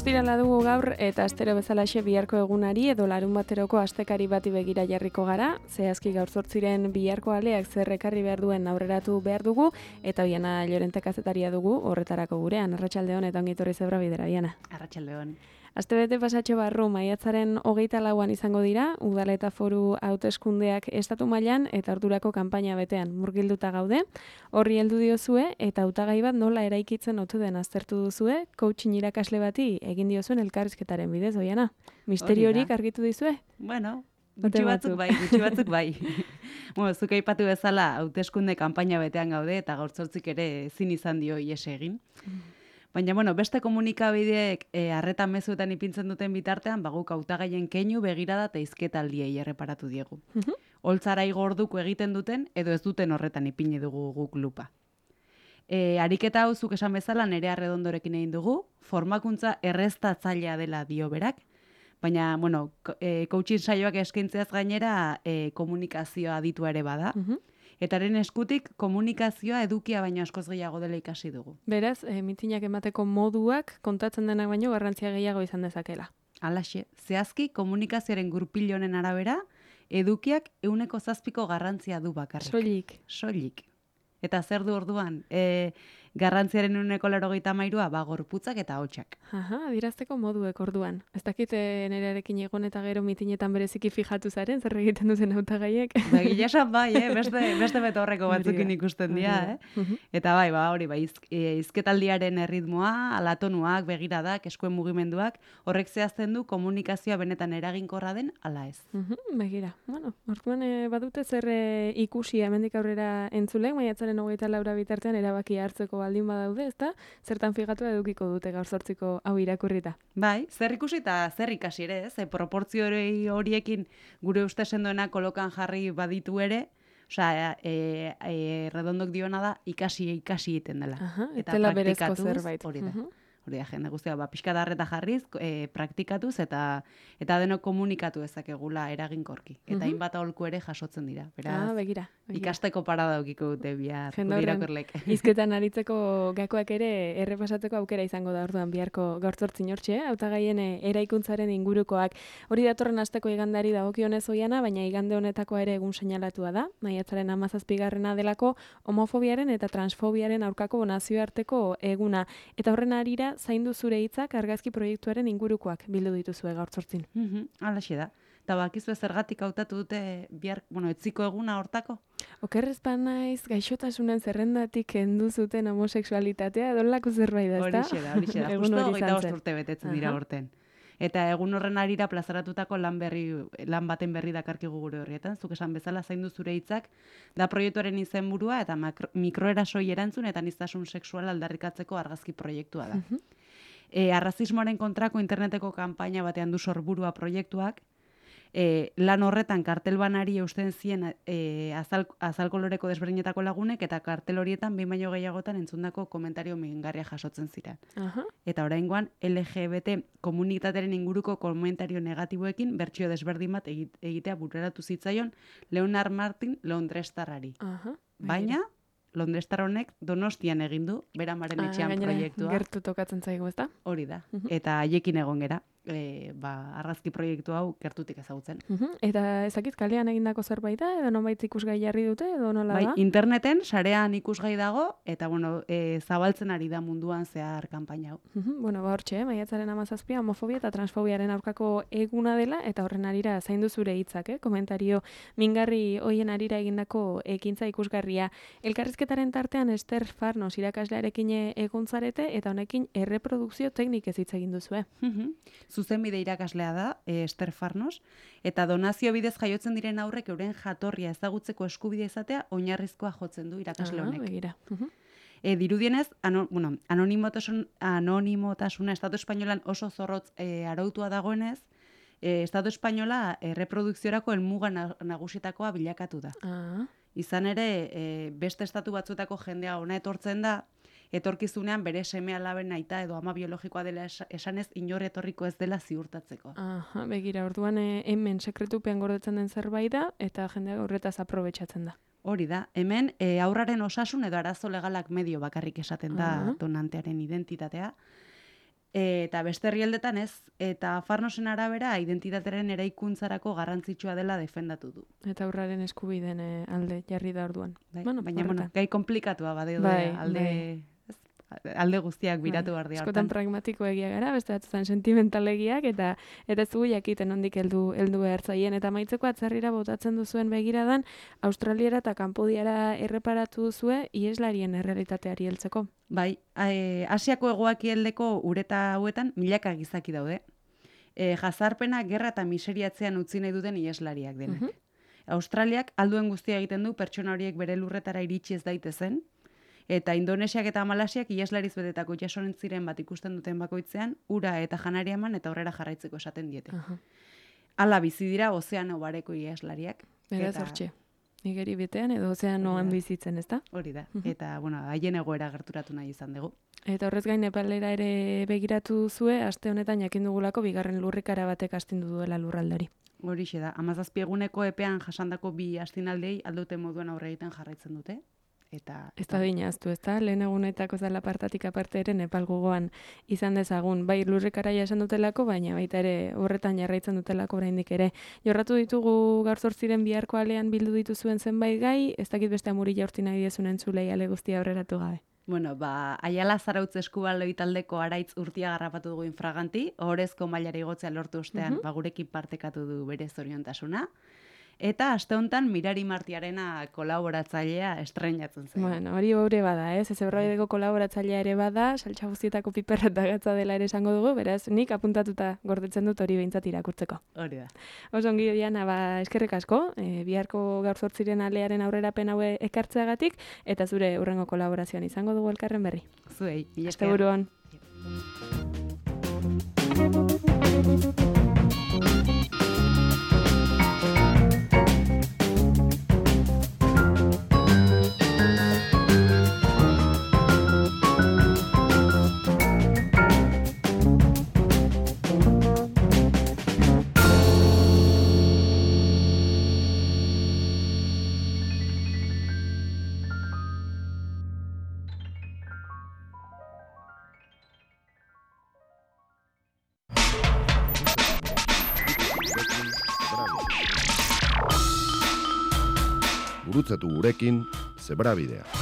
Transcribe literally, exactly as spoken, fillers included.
Ostirala dugu gaur eta astero bezalaxe biharko egunari edo larun bateroko astekari bati begira jarriko gara. Zehazki gaur zortziren biharko aleak zer ekarri behar duen aurreratu behar dugu eta Oiana Llorente kazetaria dugu horretarako gurean. Arratsaldeon eta ongi etorri Zebra Bidera, Oiana. Arratsaldeon. Astebete pasatxo barru maiatzaren hogeita lauan izango dira, udala eta foru hauteskundeak estatu mailan eta ordurako kanpaina betean murgilduta gaude. Horri heldu diozue eta hautagai bat nola eraikitzen otu den aztertu duzue, coaching irakasle bati egin diozuen elkarrizketaren bidez, Oiana. Misteriorik argitu dizue? Bueno, gutxi batzuk bai, gutxi batzuk bai. Bueno, zuk aipatu bezala hauteskunde kanpaina betean gaude eta gaur zortzik ere ezin izan dio ihes egin. Baina, bueno, beste komunikabideek harreta e, mezuetan ipintzen duten bitartean, baguk hautagaien keinu begirada eta izketaldiei erreparatu diegu. Uh-huh. Holtzara igorduko egiten duten, edo ez duten horretan ipini dugu guk lupa. E, ariketa hau zuk esan bezala Nerea Arredondorekin egin dugu, formakuntza erreztatzailea dela dio berak, baina, bueno, e, coaching saioak eskaintzeaz gainera e, komunikazioa aditua ere bada. Uh-huh. Eta haren eskutik komunikazioa edukia baino askoz gehiago dela ikasi dugu. Beraz, e, mitinak emateko moduak kontatzen denak baino garrantzia gehiago izan dezakela. Halaxe, zehazki komunikazioaren gurpil honen arabera, edukiak ehuneko zazpiko garrantzia du bakarrik. Soilik. Soilik. Eta zer du orduan? E, garrantziaren ehuneko laurogeita hamairua ba gorputzak eta ahotsak. Aha, adirazteko moduek orduan. Ez dakit Nerearekin egon eta gero mitinetan bereziki fijatu zaren, zer egiten duzen hautagaiek. Da gila esan bai, eh? beste, beste betorreko batzukin ikusten dira. Eh? Uh-huh. Eta bai, ba, hori, ba, izk, izketaldiaren erritmoa, alatonuak, begiradak, eskuen mugimenduak, horrek zehazten du komunikazioa benetan eraginkorra den, ala ez. Uh-huh, begira, bueno, orduan e, badute zer e, ikusi hemendik aurrera entzulek, maiatzaren hogeita laura bitartean erabaki hartzeko baldin badaude, ezta? Zertan figatu edukiko dute gaur zortziko hau irakurrita. Bai, zer ikusi eta zer ikasi ere, ez? E, proportzio horiekin gure uste sendoena kolokan jarri baditu ere, osea, e, e, Redondok diona da ikasi ikasi egiten dela. Aha, eta praktikatuz, zerbait. Hori da. Uh-huh. Hori da, jende guztia, ba, pixka darreta jarriz, e, praktikatuz eta eta denok komunikatu ezakegula eraginkorki. Eta hainbat uh-huh. aholku ere jasotzen dira. Beraz, ah, begira, begira. Ikasteko parada daukiko dute bihar irakurlek. Hizketan aritzeko gakoak ere errepasatzeko aukera izango da orduan biharko gaur zortzin hortxe, hautagaien eraikuntzaren ingurukoak. Hori datorren asteko igandari dagokionez Oiana, baina igande honetakoa ere egun seinalatua da. Maiatzaren hamazazpigarrena delako homofobiaren eta transfobiaren aurkako nazioarteko eguna. Eta horren arira zaindu zure hitzak argazki proiektuaren ingurukoak bildu dituzue gaur zortzin. Mhm, halaxe da. Eta bakizu zergatik hautatu dute bihar, bueno, etziko eguna hortako? Okerrez naiz gaixotasunen zerrendatik kendu zuten homosexualitatea, dolako zerbait da, ezta? Horixe da, horixe da. Justo hogeita bost urte betetzen dira horten. Eta egun horren arira plazaratutako lan berri, lan baten berri dakarkigu gure horrietan. Zuk esan bezala zaindu zure hitzak, da proiektuaren izenburua eta mikroerasoi erantzun eta aniztasun sexuala aldarrikatzeko argazki proiektua da. Uh-huh. E, arrazismoaren kontrako interneteko kanpaina batean du sorburua proiektuak, E, lan horretan kartelbanari eusten zien e, azal, azal koloreko desberdinetako lagunek eta kartel horietan behin baino gehiagotan entzundako komentario mingarria jasotzen ziren. Uh-huh. Eta oraingoan L G B T komunitatearen inguruko komentario negatiboekin bertsio desberdin bat egitea bururatu zitzaion Leonard Martin Londrestarrari. Uh-huh. Baina Londrestar honek Donostian egin du beramaren etxean ah, proiektua. Gertu tokatzen zaigu, ezta? Hori da. Uh-huh. Eta haiekin egon gera. E, ba, argazki proiektu hau gertutik ezagutzen. Uh-huh. Eta ezakit kalean egindako zerbait da, edo nonbait ikusgai jarri dute, edo nola bai, da? Interneten, sarean ikusgai dago, eta bueno, e, zabaltzen ari da munduan zehar kanpaina hau. Uh-huh. Bueno, ba hortxe, maiatzaren hamazazpia, homofobia eta transfobiaren aurkako eguna dela, eta horren arira zaindu zure hitzak, eh? Komentario mingarri hoien arira egindako ekintza ikusgarria. Elkarrizketaren tartean Ester Farnos irakaslearekin egon zarete, eta honekin erreprodukzio teknikez hitz egin duzue. Uh-huh. Zuzenbide irakaslea da, e, Ester Farnos, eta donazio bidez jaiotzen diren aurrek euren jatorria ezagutzeko eskubidea izatea oinarrizkoa jotzen du irakasle honek. Ah, begira. Uh-huh. E, dirudienez, ano, bueno, anonimotasun, anonimotasuna Estatu Espainolan oso zorrotz e, arautua dagoenez, e, Estatu Espainola erreprodukziorako helmuga nagusietakoa bilakatu da. Ah. Izan ere, e, beste estatu batzuetako jendea ona etortzen da, etorkizunean bere seme alaben aita edo ama biologikoa dela esanez inor etorriko ez dela ziurtatzeko. Aha, begira, orduan e, hemen sekretupean gordetzen den zerbait da eta jendea horretaz aprobetxatzen da. Hori da, hemen e, aurraren osasun edo arazo legalak medio bakarrik esaten da uh-huh. donantearen identitatea. eta beste herrialdetan ez, eta Farnosen arabera identitatearen eraikuntzarako garrantzitsua dela defendatu du. Eta aurraren eskubideen alde jarri da orduan. Bai, bueno, baina, bueno, gai komplikatua badeo bai, alde... Bai. alde guztiak biratu behar dira. Askotan pragmatiko egia gara, beste batzutan sentimentalegiak, eta eta ez dugu jakiten ondik heldu heldu behar zaien. Eta maitzeko atzerrira botatzen duzuen begiradan, Australiara eta Kanpodiara erreparatu duzue ieslarien errealitateari heltzeko. Bai, e, Asiako hegoekialdeko ureta hauetan milaka gizaki daude. E, jazarpena, gerra eta miseriatzean utzi nahi duten ieslariak denak. Uh-huh. Australiak alduen guztia egiten du pertsona horiek bere lurretara iritsi ez daitezen, eta Indonesiak eta Malasiak ieslariz betetako itsasontziren bat ikusten duten bakoitzean, ura eta janaria eman eta aurrera jarraitzeko esaten diete. Uh-huh. Hala bizi dira ozeano bareko ieslariak. Beraz eta... hortxe. Igeri betean edo ozeanoan bizitzen, ezta? Hori da. Uh-huh. Eta, bueno, haien egoera gerturatu nahi izan dugu. Eta horrez gain Nepalera ere begiratu zue, aste honetan jakin dugulako bigarren lurrikara batek astindu duela lurraldari. Horixe da. hamazazpi eguneko epean jasandako bi astinaldei aldute moduan aurre egiten jarraitzen dute. Eta, ez da dinaztu, ez da? Lehen egunetako zala partatik aparte ere Nepal gogoan izan dezagun. Bai lurrikara esan dutelako, baina baita ere horretan jarraitzen dutelako oraindik ere. Jorratu ditugu gaur zortziren biharko alean bildu dituzuen zenbait gai, ez dakit beste amuri jaurti nahi diezu entzulei ale guztia aurreratu gabe. Bueno, ba, Aiala Zarautz eskubaloi taldeko Araitz Urtia garrapatu dugu infraganti, ohorezko mailara igotzea lortu ostean, uh-huh. ba, gurekin partekatu du bere zoriontasuna. Eta aste honetan Mirari Martiarena kolaboratzailea estreinatzen zen. Bueno, hori hori bada, ez? Ez Ebraideko kolaboratzailea ere bada, saltsa guztietako piperra eta gatza dela ere esango dugu, beraz, nik apuntatuta gordetzen dut hori behintzat irakurtzeko. Hori da. Oso ongi, Diana, ba, eskerrik asko, e, biharko gaur zortziren alearen aurrerapen haue ekartzeagatik, eta zure hurrengo kolaborazioan izango dugu elkarren berri. Zuei, asteburuan. Gurutzatu gurekin Zebrabidea.